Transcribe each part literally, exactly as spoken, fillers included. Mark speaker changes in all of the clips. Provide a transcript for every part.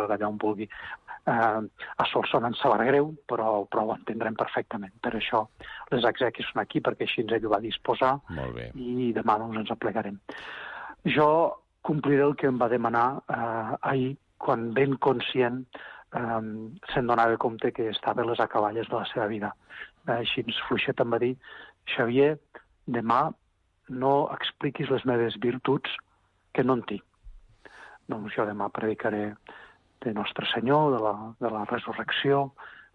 Speaker 1: d'allà on vulgui. Uh, a Solsona ens sabrà greu, però, però ho entendrem perfectament. Per això les exèquies són aquí, perquè així ens ell ho va disposar.
Speaker 2: Molt bé.
Speaker 1: I demà doncs, ens aplegarem. Jo compliré el que em va demanar uh, ahir, quan ben conscient um, se'n donava compte que estava a les acaballes de la seva vida. Uh, així ens fluixet em va dir: Xavier, demà no expliquis les meves virtuts, que no en tinc. Doncs jo demà predicaré de Nostre Senyor, de la, de la resurrecció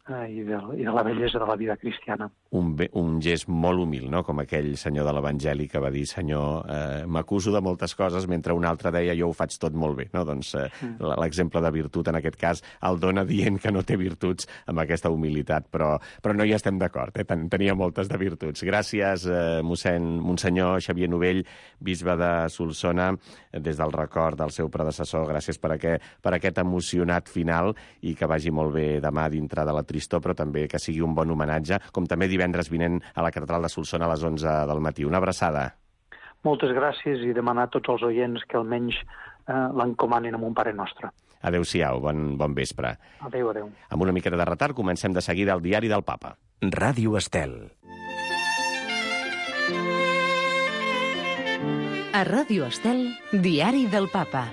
Speaker 1: eh, i, de, i de la bellesa de la vida cristiana.
Speaker 2: Un, be, un gest molt humil, no? Com aquell senyor de l'Evangeli que va dir: Senyor, eh, m'acuso de moltes coses, mentre un altre deia: jo ho faig tot molt bé. No? Doncs eh, mm. l'exemple de virtut, en aquest cas, el dona dient que no té virtuts amb aquesta humilitat, però, però no hi estem d'acord, eh? Ten, tenia moltes de virtuts. Gràcies, eh, mossèn, Monsenyor Xavier Novell, bisbe de Solsona, des del record del seu predecessor. Gràcies per aquest, per aquest emocionat final, i que vagi molt bé demà dintre de la tristor, però també que sigui un bon homenatge, com també divendres vinent a la catedral de Solsona a les onze del matí. Una abraçada.
Speaker 1: Moltes gràcies, i demanar a tots els oients que almenys eh, l'encomanin amb un Pare Nostre.
Speaker 2: Adéu-siau, bon, bon vespre.
Speaker 1: Adéu, adéu.
Speaker 2: Amb una miqueta de retard comencem de seguida el Diari del Papa.
Speaker 3: Ràdio Estel.
Speaker 4: A Ràdio Estel, Diari del Papa.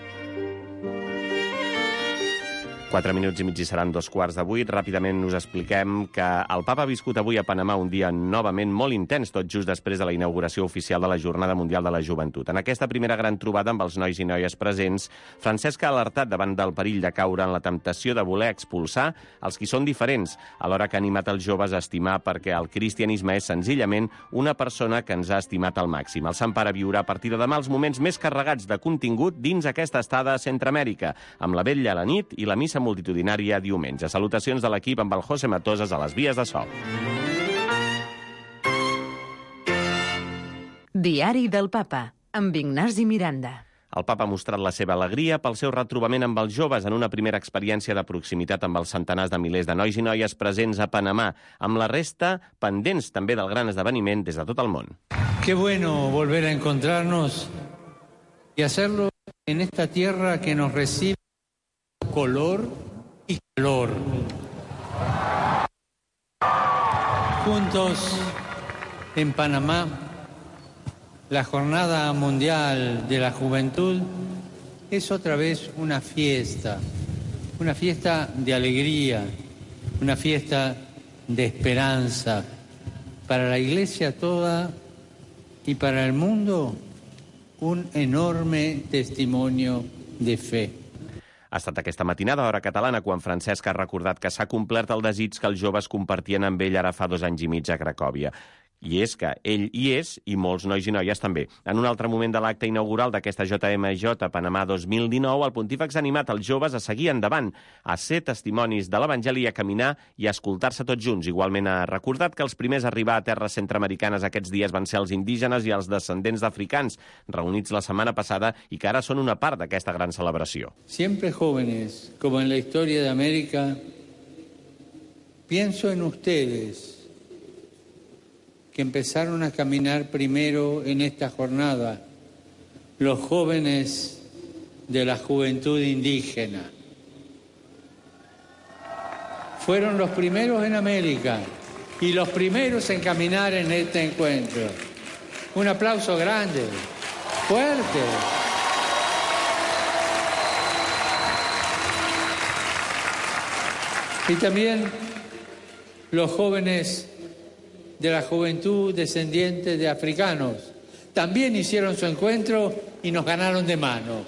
Speaker 2: Quatre minuts i mig i seran dos quarts de vuit. Ràpidament us expliquem que el Papa ha viscut avui a Panamà un dia novament molt intens, tot just després de la inauguració oficial de la Jornada Mundial de la Joventut. En aquesta primera gran trobada amb els nois i noies presents, Francesc ha alertat davant del perill de caure en la temptació de voler expulsar els qui són diferents, alhora que ha animat els joves a estimar, perquè el cristianisme és senzillament una persona que ens ha estimat al màxim. El Sant Pare viurà a partir de demà els moments més carregats de contingut dins aquesta estada a Centreamèrica, amb la vetlla a la nit i la missa multitudinària diumenge. Salutacions de l'equip amb el José Matoses a les vies de so.
Speaker 4: Diari del Papa, amb Ignasi Miranda.
Speaker 2: El Papa ha mostrat la seva alegria pel seu retrobament amb els joves en una primera experiència de proximitat amb els centenars de milers de nois i noies presents a Panamà, amb la resta pendents també del gran esdeveniment des de tot el món.
Speaker 5: Qué bueno volver a encontrarnos y hacerlo en esta tierra que nos recibe color y calor. Juntos en Panamá, la Jornada Mundial de la Juventud es otra vez una fiesta, una fiesta de alegría, una fiesta de esperanza para la Iglesia toda y para el mundo, un enorme testimonio de fe.
Speaker 2: Ha estat aquesta matinada, hora catalana, quan Francesc ha recordat que s'ha complert el desig que els joves compartien amb ell ara fa dos anys i mig a Cracòvia. I és que ell hi és, i molts nois i noies també. En un altre moment de l'acte inaugural d'aquesta J M J Panamà dos mil dinou, el pontífex ha animat els joves a seguir endavant, a ser testimonis de l'Evangeli, a caminar i a escoltar-se tots junts. Igualment ha recordat que els primers a arribar a terres centreamericanes aquests dies van ser els indígenes i els descendents d'africans, reunits la setmana passada i que ara són una part d'aquesta gran celebració.
Speaker 5: Siempre jóvenes, como en la historia de América, pienso en ustedes, que empezaron a caminar primero en esta jornada, los jóvenes de la juventud indígena. Fueron los primeros en América y los primeros en caminar en este encuentro. Un aplauso grande, fuerte. Y también los jóvenes de la juventud descendiente de africanos también hicieron su encuentro y nos ganaron de mano.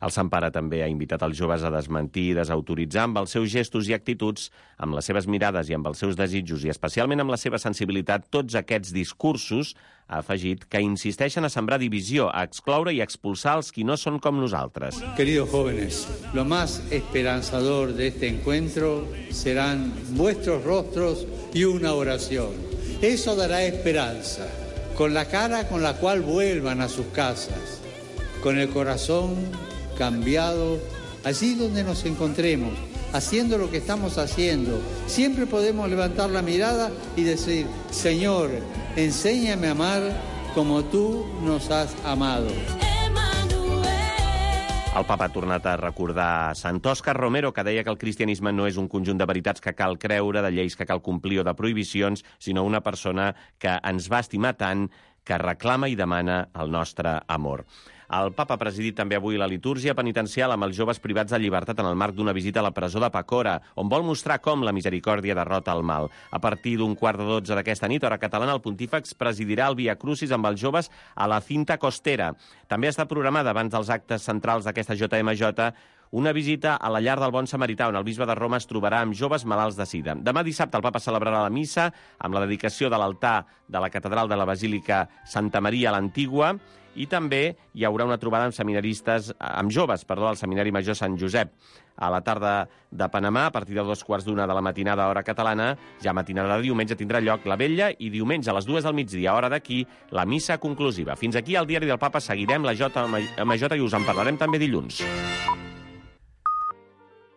Speaker 2: El Sant Pare també ha invitat els joves a desmentir i desautoritzar amb els seus gestos i actituds, amb les seves mirades i amb els seus desitjos i especialment amb la seva sensibilitat, tots aquests discursos, ha afegit, que insisteixen a sembrar divisió, a excloure i expulsar els qui no són com nosaltres.
Speaker 5: Queridos jóvenes, lo más esperanzador de este encuentro serán vuestros rostros y una oración. Eso dará esperanza, con la cara con la cual vuelvan a sus casas, con el corazón cambiado, allí donde nos encontremos, haciendo lo que estamos haciendo. Siempre podemos levantar la mirada y decir, Señor, enséñame a amar como tú nos has amado.
Speaker 2: El papa ha tornat a recordar Sant Òscar Romero, que deia que el cristianisme no és un conjunt de veritats que cal creure, de lleis que cal complir o de prohibicions, sinó una persona que ens va estimar tant, que reclama i demana el nostre amor. El papa ha presidit també avui la litúrgia penitencial amb els joves privats de llibertat en el marc d'una visita a la presó de Pacora, on vol mostrar com la misericòrdia derrota el mal. A partir d'un quart de dotze d'aquesta nit, hora catalana, el pontífex presidirà el Via Crucis amb els joves a la Cinta Costera. També està programada, abans dels actes centrals d'aquesta J M J, una visita a la llar del Bon Samarità, on el bisbe de Roma es trobarà amb joves malalts de sida. Demà dissabte el papa celebrarà la missa amb la dedicació de l'altar de la catedral de la Basílica Santa Maria a l'Antigua, i també hi haurà una trobada amb seminaristes, amb joves, perdó, al Seminari Major Sant Josep. A la tarda de Panamà, a partir de dos quarts d'una de la matinada, hora catalana, ja matinada de diumenge, tindrà lloc la vetlla i diumenge a les dues del migdia, hora d'aquí, la missa conclusiva. Fins aquí al Diari del Papa, seguirem la J M J i us en parlarem també dilluns.